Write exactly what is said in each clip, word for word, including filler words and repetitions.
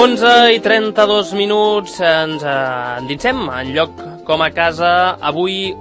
onze i trenta-dos minuts, ens endinsem en lloc com a casa. Avui eh,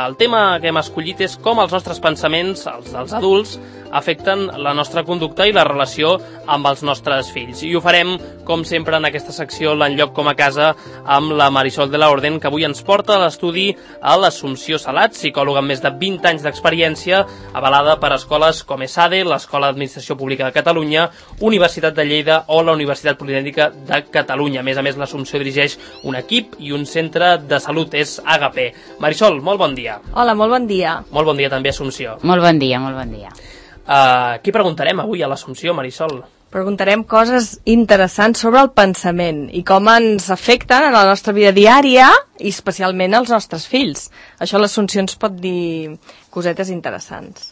el tema que hem escollit és com els nostres pensaments, els dels adults, afecten la nostra conducta i la relació amb els nostres fills. I ho farem, com sempre, en aquesta secció, l'enlloc com a casa, amb la Marisol de la Orden, que avui ens porta a l'estudi a l'Assumpció Salat, psicòloga amb més de vint anys d'experiència, avalada per escoles com ESADE, l'Escola d'Administració Pública de Catalunya, Universitat de Lleida o la Universitat Politècnica de Catalunya. A més a més, l'Assumpció dirigeix un equip i un centre de salut, és A G P. Marisol, molt bon dia. Hola, molt bon dia. Molt bon dia també, Assumpció. Molt bon dia, molt bon dia. Uh, què preguntarem avui a l'Assumpció, Marisol? Preguntarem coses interessants sobre el pensament i com ens afecten en la nostra vida diària i especialment als nostres fills. Això l'Assumpció ens pot dir cosetes interessants.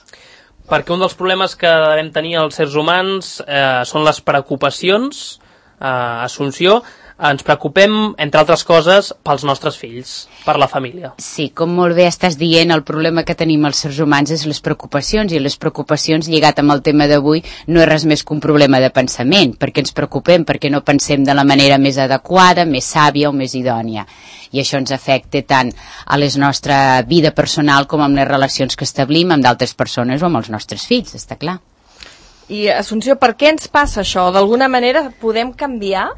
Perquè un dels problemes que devem tenir els éssers humans eh, són les preocupacions, eh, Assumpció. Ens preocupem, entre altres coses, pels nostres fills, per la família. Sí, com molt bé estàs dient, el problema que tenim els éssers humans és les preocupacions, i les preocupacions, lligat amb el tema d'avui, no és res més que un problema de pensament, perquè ens preocupem, perquè no pensem de la manera més adequada, més sàvia o més idònia. I això ens afecta tant a la nostra vida personal com amb les relacions que establim amb d'altres persones o amb els nostres fills, està clar. I, Assumpció, per què ens passa això? D'alguna manera podem canviar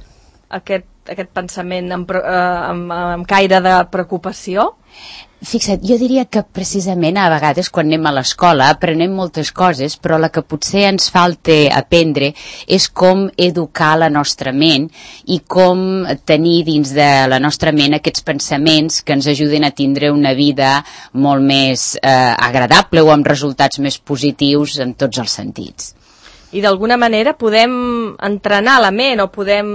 aquest aquest pensament amb, amb, amb caire de preocupació? Fixa't, jo diria que precisament a vegades quan anem a l'escola aprenem moltes coses, però la que potser ens falta aprendre és com educar la nostra ment i com tenir dins de la nostra ment aquests pensaments que ens ajuden a tindre una vida molt més eh, agradable o amb resultats més positius en tots els sentits. I d'alguna manera podem entrenar la ment o podem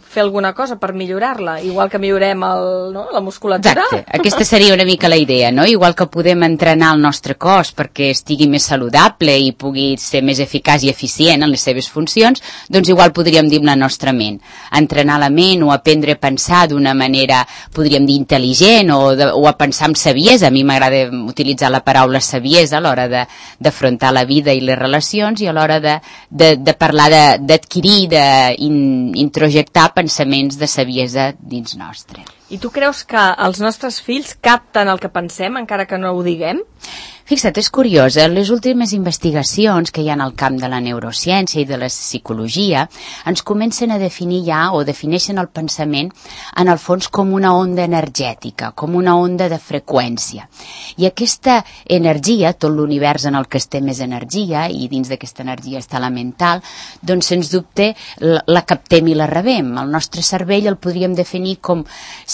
fer alguna cosa per millorar-la, igual que millorem el, no, la musculatura. Exacte, aquesta seria una mica la idea, no? Igual que podem entrenar el nostre cos perquè estigui més saludable i pugui ser més eficaç i eficient en les seves funcions, doncs igual podríem dir amb la nostra ment. Entrenar la ment o aprendre a pensar d'una manera, podríem dir, intel·ligent o, de, o a pensar amb saviesa. A mi m'agrada utilitzar la paraula saviesa a l'hora d'afrontar la vida i les relacions i a l'hora de De, de parlar d'adquirir, d'introjectar pensaments de saviesa dins nostre. I tu creus que els nostres fills capten el que pensem, encara que no ho diguem? Fixa't, és curiós, eh? Les últimes investigacions que hi ha en el camp de la neurociència i de la psicologia ens comencen a definir ja, o defineixen el pensament, en el fons com una onda energètica, com una onda de freqüència. I aquesta energia, tot l'univers en el que estem és energia, i dins d'aquesta energia està la mental, doncs sens dubte la, la captem i la rebem. El nostre cervell el podríem definir com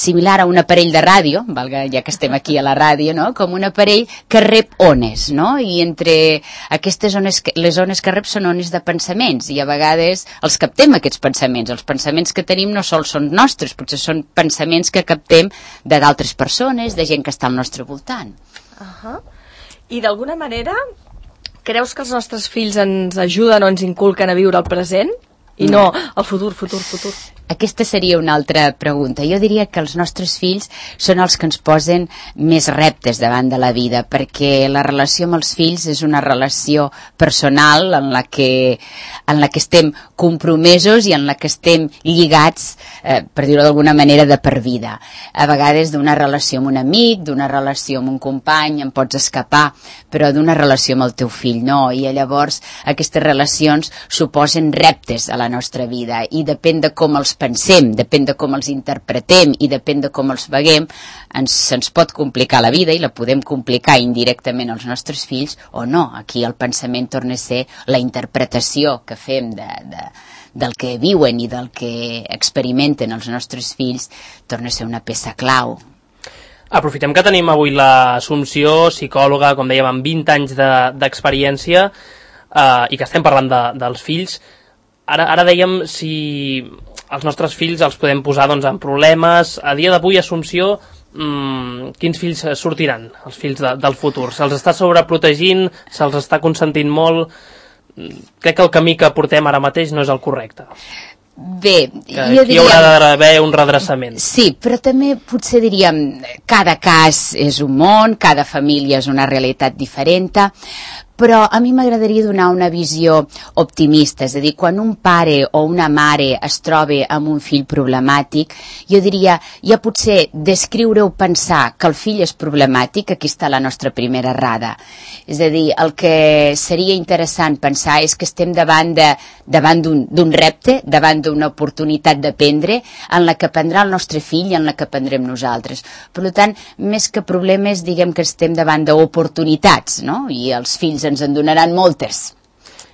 similar a un aparell de ràdio, valga, ja que estem aquí a la ràdio, no? Com un aparell que rep ones, no? I entre aquestes ones, que, les ones que rep són ones de pensaments, i a vegades els captem aquests pensaments. Els pensaments que tenim no sols són nostres, potser són pensaments que captem de d'altres persones, de gent que està al nostre voltant. Uh-huh. I d'alguna manera, creus que els nostres fills ens ajuden o ens inculquen a viure el present? I no, el futur, futur, futur. Aquesta seria una altra pregunta. Jo diria que els nostres fills són els que ens posen més reptes davant de la vida, perquè la relació amb els fills és una relació personal en la que, en la que estem compromesos i en la que estem lligats, eh, per dir-ho d'alguna manera, de per vida. A vegades d'una relació amb un amic, d'una relació amb un company, en pots escapar, però d'una relació amb el teu fill no, i llavors aquestes relacions suposen reptes a la nostra vida, i depèn de com els pensem, depèn de com els interpretem i depèn de com els veiem, ens, ens pot complicar la vida i la podem complicar indirectament als nostres fills o no. Aquí el pensament torna a ser la interpretació que fem de, de, del que viuen i del que experimenten els nostres fills, torna a ser una peça clau. Aprofitem que tenim avui l'Assumpció, psicòloga, com dèiem, amb vint anys d'experiència de, eh, i que estem parlant de, dels fills. Ara, ara dèiem si els nostres fills els podem posar doncs, en problemes. A dia d'avui, Assumpció, mmm, quins fills sortiran, els fills de, del futur? Se'ls està sobreprotegint, se'ls està consentint molt? Crec que el camí que portem ara mateix no és el correcte. Bé, que jo aquí diria... hi haurà d'haver un redreçament. Sí, però també potser diríem cada cas és un món, cada família és una realitat diferent, però a mi m'agradaria donar una visió optimista, és a dir, quan un pare o una mare es troba amb un fill problemàtic, jo diria, ja potser descriure o pensar que el fill és problemàtic, aquí està la nostra primera errada. És a dir, el que seria interessant pensar és que estem davant de, davant d'un repte, davant d'una oportunitat d'aprendre, en la que aprendrà el nostre fill i en la que aprendrem nosaltres. Per tant, més que problemes, diguem que estem davant d'oportunitats, no? I els fills ens en donaran moltes.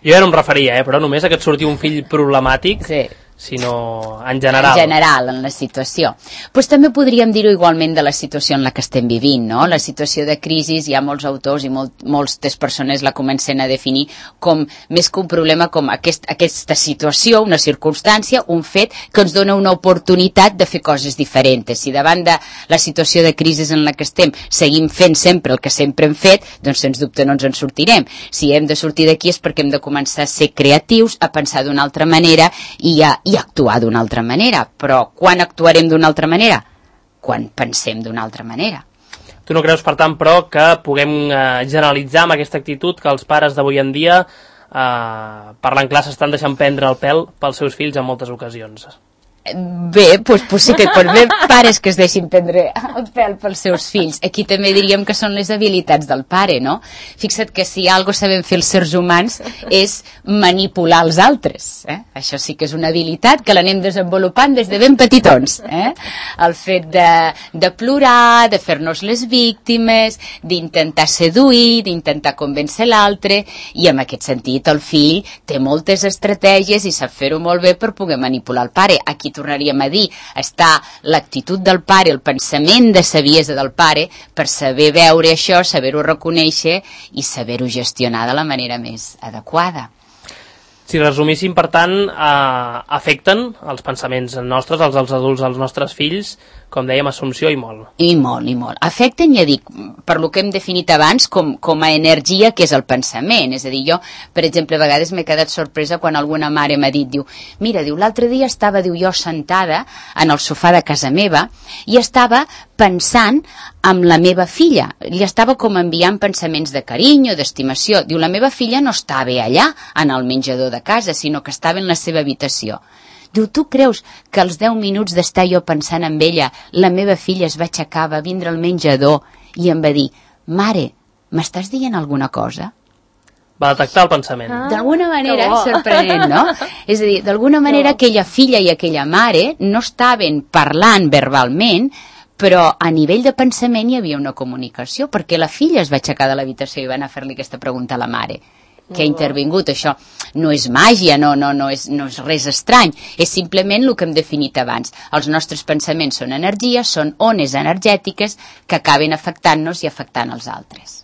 Jo ja no em referia, eh, però només a que et surti un fill problemàtic, sí, sinó en general. En general, en la situació. Pues també podríem dir-ho igualment de la situació en la que estem vivint, no? La situació de crisi, hi ha molts autors i molt, moltes persones la comencen a definir com, més que un problema, com aquest, aquesta situació, una circumstància, un fet que ens dona una oportunitat de fer coses diferents. Si davant de la situació de crisi en la que estem seguim fent sempre el que sempre hem fet, doncs sens dubte no ens en sortirem. Si hem de sortir d'aquí és perquè hem de començar a ser creatius, a pensar d'una altra manera i a i actuar d'una altra manera. Però quan actuarem d'una altra manera? Quan pensem d'una altra manera. Tu no creus, per tant, però, que puguem eh, generalitzar amb aquesta actitud que els pares d'avui en dia, eh, parlant clar, s'estan deixant prendre el pèl pels seus fills en moltes ocasions? Bé, doncs, pues sí que pot haver pares que es deixin prendre el pèl pels seus fills. Aquí també diríem que són les habilitats del pare, no? Fixa't que si algo sabem fer els éssers humans és manipular els altres. Eh? Això sí que és una habilitat que l'anem desenvolupant des de ben petitons. Eh? El fet de, de plorar, de fer-nos les víctimes, d'intentar seduir, d'intentar convèncer l'altre, i en aquest sentit el fill té moltes estratègies i sap fer-ho molt bé per poder manipular el pare. Aquí tornaríem a dir, està l'actitud del pare, el pensament de saviesa del pare, per saber veure això, saber-ho reconèixer i saber-ho gestionar de la manera més adequada. Si resumíssim, per tant, eh, afecten els pensaments nostres, els dels adults, els nostres fills, com dèiem, Assumpció, i molt. I molt, i molt. Afecten, ja dic, per lo que hem definit abans, com, com a energia que és el pensament. És a dir, jo, per exemple, a vegades m'he quedat sorpresa quan alguna mare m'ha dit, diu, mira, diu, l'altre dia estava, diu, jo sentada en el sofà de casa meva i estava pensant amb la meva filla. Li estava com enviant pensaments de carinyo, d'estimació. Diu, la meva filla no estava allà, en el menjador de casa, sinó que estava en la seva habitació. Diu, tu creus que als deu minuts d'estar jo pensant en ella, la meva filla es va aixecar, va vindre al menjador i em va dir, mare, m'estàs dient alguna cosa? Va detectar el pensament. Ah, d'alguna manera, sorprenent, no? És a dir, d'alguna manera aquella filla i aquella mare no estaven parlant verbalment, però a nivell de pensament hi havia una comunicació, perquè la filla es va aixecar de l'habitació i va anar a fer-li aquesta pregunta a la mare, que ha intervingut. Això no és màgia, no, no, no, és, no és res estrany, és simplement el que hem definit abans. Els nostres pensaments són energia, són ones energètiques que acaben afectant-nos i afectant els altres.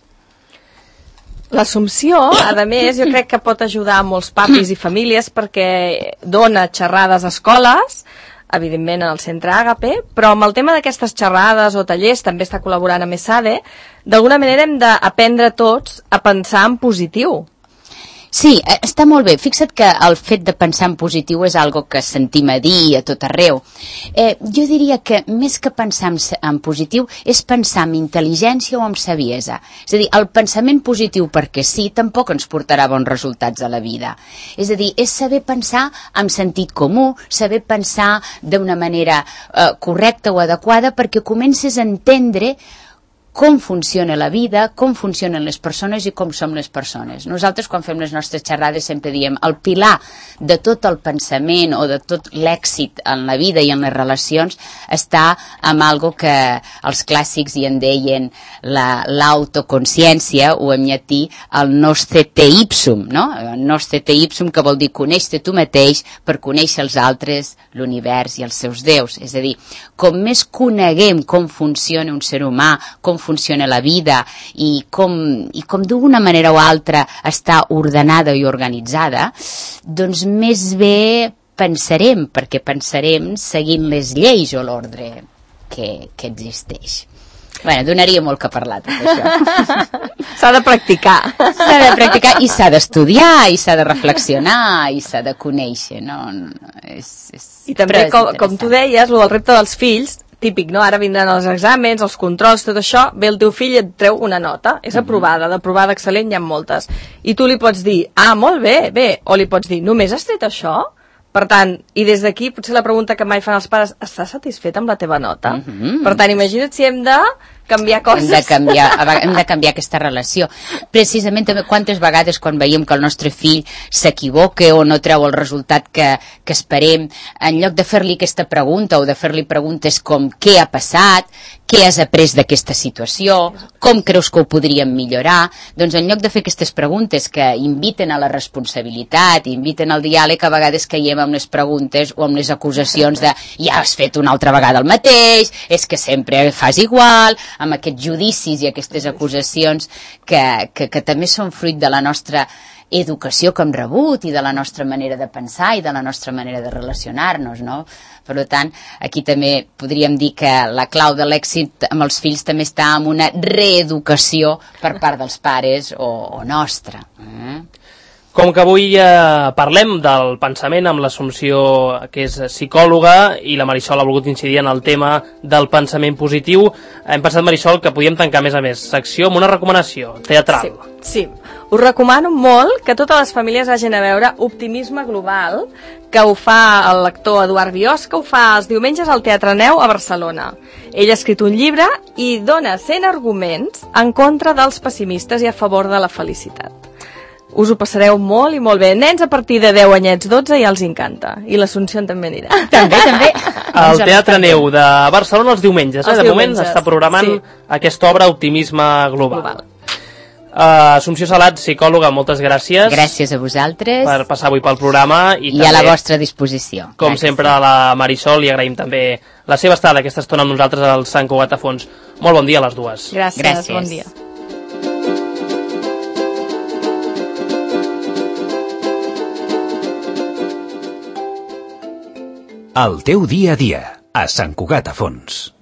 L'Assumpció, a més, jo crec que pot ajudar a molts papis i famílies perquè dona xerrades a escoles, evidentment en el centre Àgape, però amb el tema d'aquestes xerrades o tallers, també està col·laborant amb ESADE, d'alguna manera hem d'aprendre tots a pensar en positiu. Sí, està molt bé. Fixa't que el fet de pensar en positiu és algo que sentim a dir a tot arreu. Eh, jo diria que més que pensar en, en positiu és pensar en intel·ligència o en saviesa. És a dir, el pensament positiu perquè sí tampoc ens portarà bons resultats a la vida. És a dir, és saber pensar amb sentit comú, saber pensar d'una manera eh, correcta o adequada perquè comences a entendre com funciona la vida, com funcionen les persones i com som les persones. Nosaltres, quan fem les nostres xerrades, sempre diem el pilar de tot el pensament o de tot l'èxit en la vida i en les relacions està amb algo que els clàssics hi en deien l'autoconsciència, la, o en llatí el nostre te ipsum, no? El nostre te ipsum, que vol dir conèixer tu mateix per conèixer els altres, l'univers i els seus déus. És a dir, com més coneguem com funciona un ser humà, com funciona la vida i com, i com d'una manera o altra està ordenada i organitzada, doncs més bé pensarem, perquè pensarem seguint les lleis o l'ordre que, que existeix. Bé, donaria molt que parlar tot això. S'ha de practicar. S'ha de practicar i s'ha d'estudiar i s'ha de reflexionar i s'ha de conèixer, no? És, és, I també, com, com tu deies, el del repte dels fills típic, no? Ara vindran els exàmens, els controls, tot això, ve el teu fill i et treu una nota, és aprovada, d'aprovada excel·lent hi ha moltes. I tu li pots dir, ah, molt bé, bé, o li pots dir, només has tret això? Per tant, i des d'aquí, potser la pregunta que mai fan els pares, estàs satisfet amb la teva nota? Mm-hmm. Per tant, imagina't si hem de canviar coses. Hem de canviar, hem de canviar aquesta relació. Precisament també quantes vegades quan veiem que el nostre fill s'equivoca o no treu el resultat que, que esperem, en lloc de fer-li aquesta pregunta o de fer-li preguntes com què ha passat, què has après d'aquesta situació, com creus que ho podríem millorar, doncs en lloc de fer aquestes preguntes que inviten a la responsabilitat, inviten al diàleg, a vegades caiem amb les preguntes o amb les acusacions de ja has fet una altra vegada el mateix, és que sempre fas igual, amb aquests judicis i aquestes acusacions que, que, que també són fruit de la nostra educació que hem rebut i de la nostra manera de pensar i de la nostra manera de relacionar-nos, no? Per tant, aquí també podríem dir que la clau de l'èxit amb els fills també està en una reeducació per part dels pares o, o nostra. Eh? Com que avui eh, parlem del pensament amb l'Assumpció, que és psicòloga, i la Marisol ha volgut incidir en el tema del pensament positiu, hem pensat, Marisol, que podíem tancar més a més secció amb una recomanació teatral. Sí, sí. Us recomano molt que totes les famílies hagin a veure Optimisme Global, que ho fa el lector Eduard Biós, que ho fa els diumenges al Teatre Neu a Barcelona. Ell ha escrit un llibre i dona cent arguments en contra dels pessimistes i a favor de la felicitat. Us ho passareu molt i molt bé. Nens a partir de deu anyets, dotze, ja els encanta. I l'Assumpció també anirà. També, també. El Teatre Neu de Barcelona els diumenges. Els eh? De diumenges, moment està programant sí. aquesta obra Optimisme Global. Global. Uh, Assumpció Salat, psicòloga, moltes gràcies. Gràcies a vosaltres. Per passar avui pel programa. I, I també, a la vostra disposició. Com gràcies. sempre, a la Marisol, li agraïm també la seva estada aquesta estona amb nosaltres al Sant Cugat a Fons. Molt bon dia a les dues. Gràcies, gràcies. Bon dia. El teu dia a dia, a Sant Cugat a Fons.